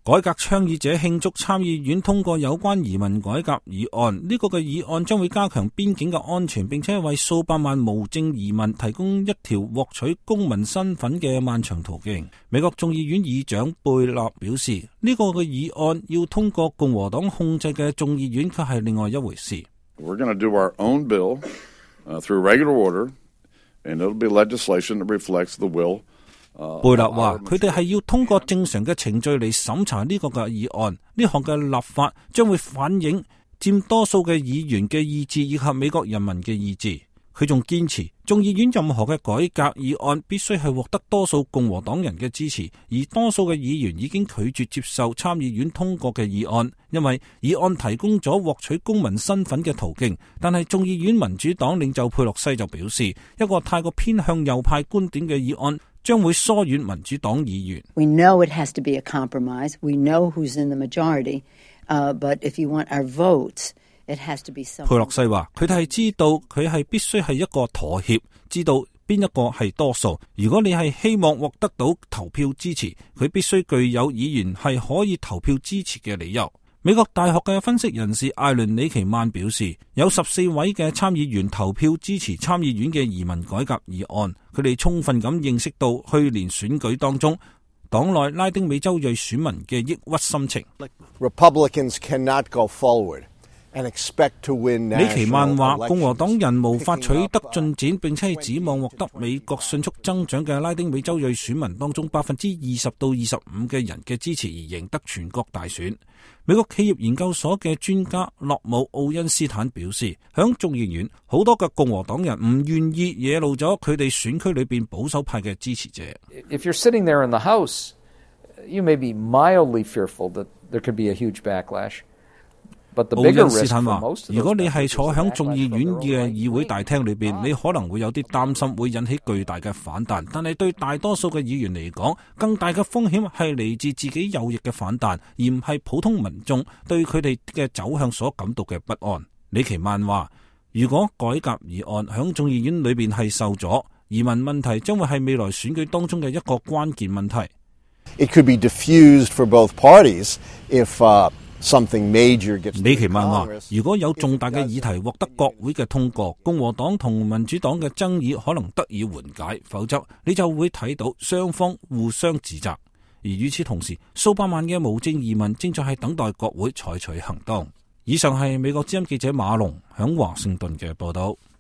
改革倡議者慶祝參議院通過有關移民改革議案，呢個嘅議案將會加強邊境嘅安全，並且為數百萬無證移民提供一條獲取公民身份嘅漫長途徑。美國眾議院議長貝納表示，呢個嘅議案要通過共和黨控制嘅眾議院卻係另外一回事。We're going to do our own bill through regular order, and it'll be legislation that reflects the will。貝納話：佢哋係要通過正常嘅程序嚟審查呢個嘅議案，呢項嘅立法將會反映佔多數嘅議員嘅意志以及美國人民嘅意志。佢仲堅持，眾議院任何嘅改革議案必須係獲得多數共和黨人嘅支持，而多數嘅議員已經拒絕接受參議院通過嘅議案，因為議案提供咗獲取公民身份嘅途徑。但係眾議院民主黨領袖佩洛西就表示，一個太過偏向右派觀點嘅議案將會疏遠民主黨議員。We know it has to be a compromise. We know who's in the majority. But if you want our votes, it has to be something. 佩洛西話：佢哋係知道佢係必須係一個妥協，知道邊一個係多數。如果你係希望獲得到投票支持，佢必須具有議員係可以投票支持嘅理由。美國大學嘅分析人士艾倫里奇曼表示，有14位嘅參議員投票支持參議院嘅移民改革議案，佢哋充分咁認識到去年選舉當中黨內拉丁美洲裔選民嘅抑鬱心情。Republicans cannot go forward and expect to win national elections. 李奇曼話，共和黨人無法取得進展，並且係指望獲得美國迅速增長嘅拉丁美洲裔選民當中20%到25%嘅人嘅支持而贏得全國大選。美國企業研究所嘅專家洛姆奧恩斯坦表示，響眾議院好多嘅共和黨人唔願意惹怒咗佢哋選區裏邊保守派嘅支持者。If you're sitting there in the House, you may be mildly fearful that there could be a huge backlash. 奧恩斯坦話：如果你係坐響眾議院嘅議會大廳裏邊，你可能會有啲擔心會引起巨大嘅反彈，但係對大多數嘅議員嚟講，更大嘅風險係嚟自自己右翼嘅反彈，而唔係普通民眾對佢哋嘅走向所感到嘅不安。李奇曼話：如果改革議案響眾議院裏邊係受阻，移民問題將會係未來選舉當中嘅一個關鍵問題。It could be diffused for both parties if李奇曼話：如果有重大嘅議題獲得國會嘅通過，共和黨同民主黨嘅爭議可能得以緩解，否則你就會睇到雙方互相指責。而與此同時，數百萬嘅無證移民正在係等待國會採取行動。以上係美國之音記者馬龍響華盛頓嘅報道。